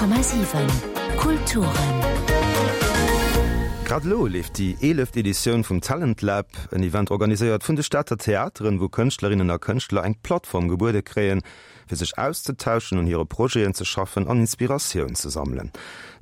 100,7 Kulturen. Grad elo leeft déi eeleft Editioun vum Talent Lab, en Event organiséiert vun de Stater Theateren, wou Kënschtlerinnen a Kënschtler eng Plattform gebuede kréien, fir sech auszetauschen, un hire Projeten ze schaffen an Inspiratioun ze sammelen.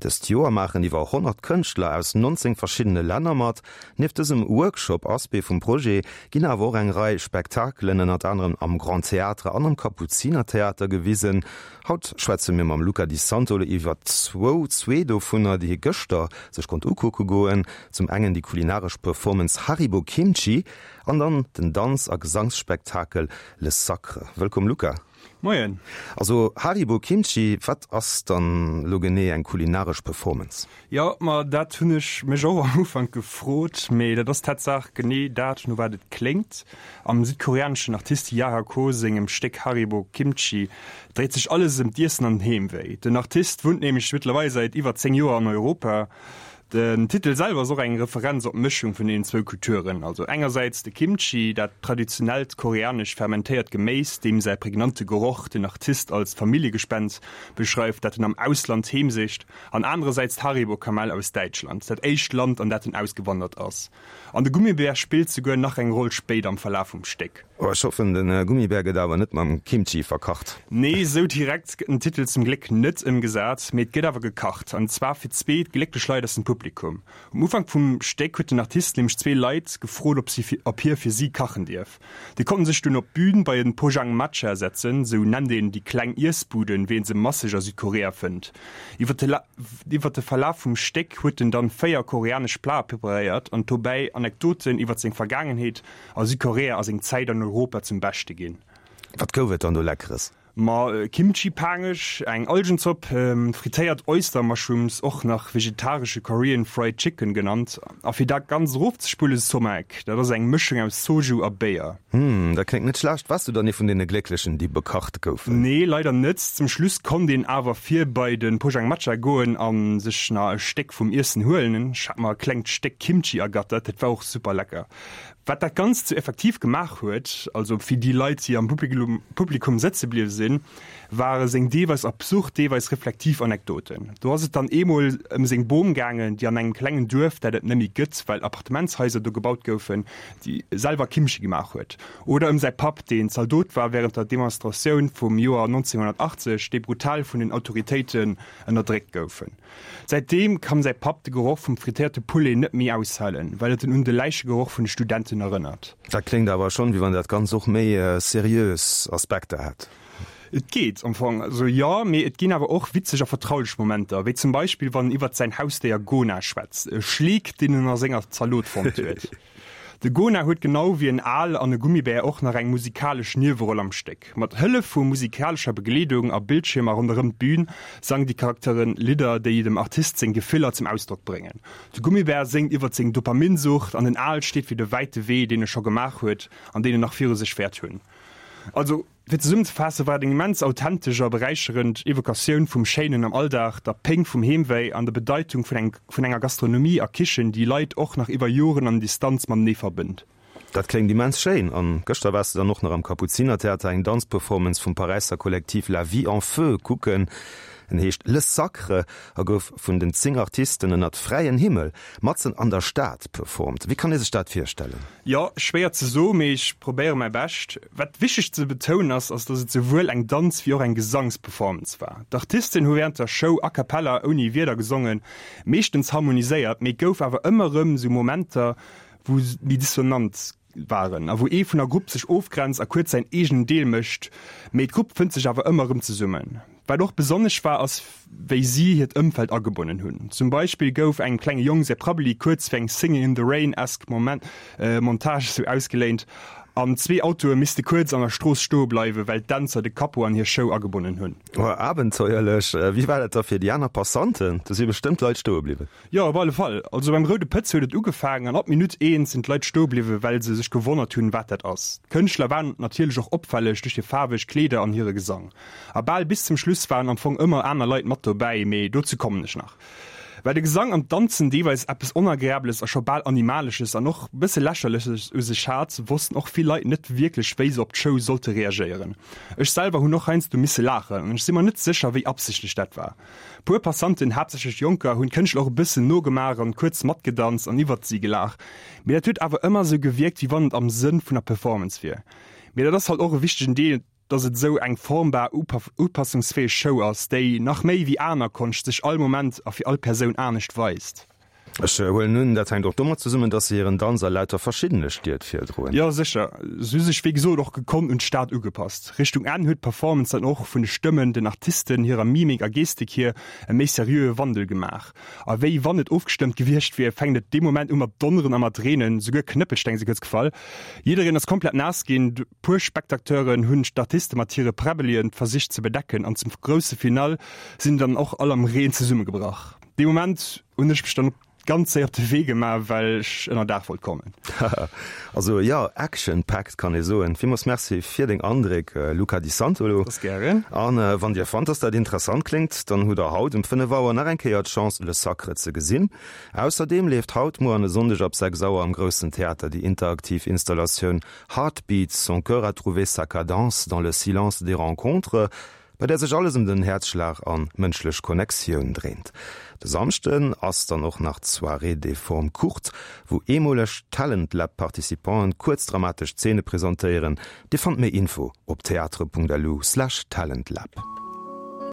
Dëst Joer maachen iwwer 100 Kënschtler aus 19 verschiddene Länner mat. Nieft dësem Workshop-Aspect vum Projet ginn awer och eng Rei Spektakelen, ënnert anerem am Grand Théâtre an am Kapuzinertheater gewisen. Haut schwätze mir mam Luca Di Santolo iwwer zwou, zwee dovunner, déi hie gëschter sech konnt ukucke goen. Zum engen déi kulinaresch Performance Haribo Kimchi an dann den Danz a Gesangsspektakel Le Sacre. Wëllkomm Luca. Moien. Also Haribo Kimchi, wat ass dann elo genee eng kulinaresch Performance? Jo, ma dat hunn ech mech och am Ufank gefrot, mee dat ass Tatsaach genee dat, no wat et kléngt. Am südkoreaneschen Artist Jaha Ko sengem Stéck Haribo Kimchi dréit sech alles ëm d'Iessen an den Heemwéi. Den Artist wunnt nämlech mëttlerweil säit iwwer 10 Joer an Europa. Den Titel selwer ass och eng Referenz op d'Mëschung vun deenen zwou Kulturen, also engersäits de Kimchi, dat traditionellt koreanesch fermentéiert Geméis, deem säi prägnante Geroch den Artist als Familljegespenst beschreift, dat en am Ausland heemsicht, An anerersäits d'Haribo-Kamell aus Däitschland, dat éischt Land, an dat en ausgewandert ass. An de Gummibär spillt souguer nach eng Roll spéider am Verlaf vum Stéck. Oh, ech hoffen, de Gummibär gëtt awer net mam Kimchi verkacht. Nee, sou direkt gëtt den Titel zum Gléck net ëmgesat, mee et gëtt awer gekacht. An zwar fir zwee glécklech Leit aus dem Publikum. Um Ufank vum Stéck huet den Artist nämlech zwee Leit gefrot, ob si ob hie fir si kachen dierf. Déi konnten sech dunn op d'Bün bei en Pojangmacha setzen, sou nennt een déi kleng Iessbuden, wéi een se masseg a Südkorea fënnt. Iwwer de Verlaf vum Stéck huet en dann 4 koreanesch Plate preparéiert an dobäi Anekdoten iwwer seng Vergaangenheet a Südkorea a seng Zäit an Europa zum Beschte ginn. Wat gouf et dann do Leckeres? Ma Kimchi Paangech, eng Algenzopp, frittéiert Oyster Mushrooms, och nach vegetaresche Korean Fried Chicken genannt, a fir dat Ganzt erofzespullen, Somaek, dat ass eng Mëschung aus Soju a Béier. Hm, dat kléngt net schlecht. Waars du dann ee vun deene Glécklechen, déi bekacht goufen? Nee, leider net. Zum Schluss konnt een awer vir bei de Pojangmacha goen a sech na e Stéck vum Iessen huelen. Ech hat mer e klengt Stéck Kimchi ergattert, dat war och super lecker. Wat dat Ganzt sou effektiv gemaach huet, also fir déi Leit, déi am Publikum sëtze bliwwe sinn, ware seng deelweis absurd, deelweis reflektiv Anekdoten. Do ass et dann eemol ëm seng Bom gaangen, déi an engem klengen Duerf, dat et net méi gëtt, well Appartementshaiser do gebaut goufen, déi selwer Kimchi gemaach huet. Oder ëm säi Papp, deen Zaldot war wärend der Demonstratioun vum Joer 1980, déi brutal vun den Autoritéiten ënnerdréckt goufen. Säitdeem kann säi Papp de Geroch vum frittéierte Poulet net méi aushalen, well et en un de Läichegeroch vun de Studenten erënnert. Dat kléngt awer schonn, wéi wann dat Ganzt och méi seriös Aspekter hätt. Et geet am Fong also jo, mee et ginn awer och witzeg a vertraulech Momenter, wéi zum Beispill wann en iwwert säin Hausdéier Gona schwätzt, e Schleek, deen en a senger Zalot fonnt huet. De Gona huet genau wéi en Aal an e Gummibär och nach eng musikalesch Nieweroll am Stéck. Mat Hëllef vu musikalescher Begleedung a Bildschiermer ronderëm d'Bün sangen déi Charakteren Lidder, déi dem Artist seng Gefiller zum Ausdrock bréngen. De Gummibär séngt iwwert seng Dopaminsucht an den Aal steet fir de wäite Wee, deen e scho gemaach huet an deen en nach viru sech wäert hunn. Also. Fir zesummezefaasse war et eng immens authentesch a beräicherend Evocatioun vum Schéinen am Alldag, der Péng vum Heemwéi an der Bedeitung vun eng vun enger Gastronomie a Kichen, déi Leit och nach iwwer Joren an Distanz matenee verbënnt. Dat kléngt immens schéin. An gëschter waars de dann och nach am Kapuzinertheater eng Danzperformance vum Paräisser Kollektiv La Vie en Feu kucken. En heescht Le Sacre a gouf vun den 10 Artisten ënnert fräien Himmel matzen an der Stad performt. Wéi kann ee sech dat virstellen? Jo, schwéier ze soen, mee ech probéiere mäi Bescht. Wat wichteg ze betounen ass, ass dass et souwuel eng Danz wéi och eng Gesangsperformance war. D'Artisten hu wärend der Show a cappella, ouni Wierder gesongen, meeschtens harmoniséiert, mee et gouf awer ëmmer erëm sou Momenter, wou méi dissonant waren a wou ee vun der Grupp sech ofgrenzt a kuerz säin eegenen Deel mécht, mee d'Grupp fënnt sech awer ëmmer erëm zesummen. Wat och besonnesch war, ass wéi si hiert Ëmfeld agebonnen hunn. Zum Beispill gouf engem klenge Jong säi Prabbeli kuerz fir eng Singing in the Rain-esque Moment Montage sou ausgeléint an zwee Autoe misste kuerz an der Strooss stoe bleiwen, well d'Dänzer de Capot an hir Show agebonnen hunn. Oh, abenteuerlech! Wéi war dat da fir déi aner Passanten? Do si bestëmmt Leit stoe bliwwen. Jo, op alle Fall. Also beim Roude Pëtz huet et ugefaangen an ab Minutt eent sinn d'Leit stoe bliwwen, well se sech gewonnert hunn, wat dat ass. D'Kënschtler waren natierlech och opfälleg duerch hir faarweg Kleeder an hire Gesang. A bal bis zum Schluss waren am Fong ëmmer aner Leit mat dobäi, mee dozou kommen ech nach. Well de Gesang an d'Danzen deelweis eppes Onagreabeles a scho bal Animalesches an och bësse Lächerleches u sech hat, wossten och vill Leit net wierklech, wéi se op d'Show sollte reagéieren. Ech selwer hunn och heiansdo misse laachen an ech si mer net sécher, wéi absichtlech dat war. Puer Passanten, haaptsächlech Jonker, hunn d'Kënschtler och e bëssen nogemaach an kuerz matgedanzt an iwwert si gelaach. Mee dat huet awer ëmmer esou gewierkt, wéi wann et am Sënn vun der Performance wier. Mee dat ass halt och e wichtegen Deel, dass et esou eng formbar, upassungsfäeg Show ass, déi, nach méi wéi aner Konscht, sech all Moment a fir all Persoun anescht weist. Ech huelen un, dat hänkt och domat zesummen, dass se hiren Danz a lauter verschiddene Stied virdroen. Jo, sécher. Se hu sech wéi gesot och gekonnt un d'Stad ugepasst. Richtung Enn huet d'Performance dann och vun de Stëmmen, den Artisten, hirer Mimik a Gestik hier e méi seriöe Wandel gemaach. A wéi wann et ofgestëmmt gewiescht wier, fänkt et dee Moment u mat donneren a mat reenen, souguer Knëppelsteng si kuerz gefall. Jiddereen ass komplett naass ginn. Puer Spectateuren hunn d'Artiste mat hire Präbbelien versicht ze bedecken an zum grousse Finale sinn dann och all am Reen zesummegebrach. Dee Moment hunn ech mech dann ganz séier op de Wee gemaach, well ech ënner Daach wollt kommen. Also jo, action packed kann ee soen. Villmools Merci fir deng Andréck, Luca Di Santolo. Dass gären. An wann dir fannt, dass dat interessant kléngt, dann hutt der haut um 5 Auer nach eng Kéier d'Chance Le Sacre ze gesinn. Ausserdeem leeft haut, muer an e Sonndeg ab 6 Auer am Groussen Theater déi interaktiv Installatioun Heartbeats, son cœur a trouvé sa cadence dans le silence des rencontres, bei där sech alles ëm den Häerzschlag an mënschlech Connectioun dréint. De Samschden ass dann och nach d'Soirée des formes courtes, wou eemoleg Talent Lab Participanten kuerz dramatesch Zeene presentéieren. Dir fannt méi Info op theatre.lu/talentlab.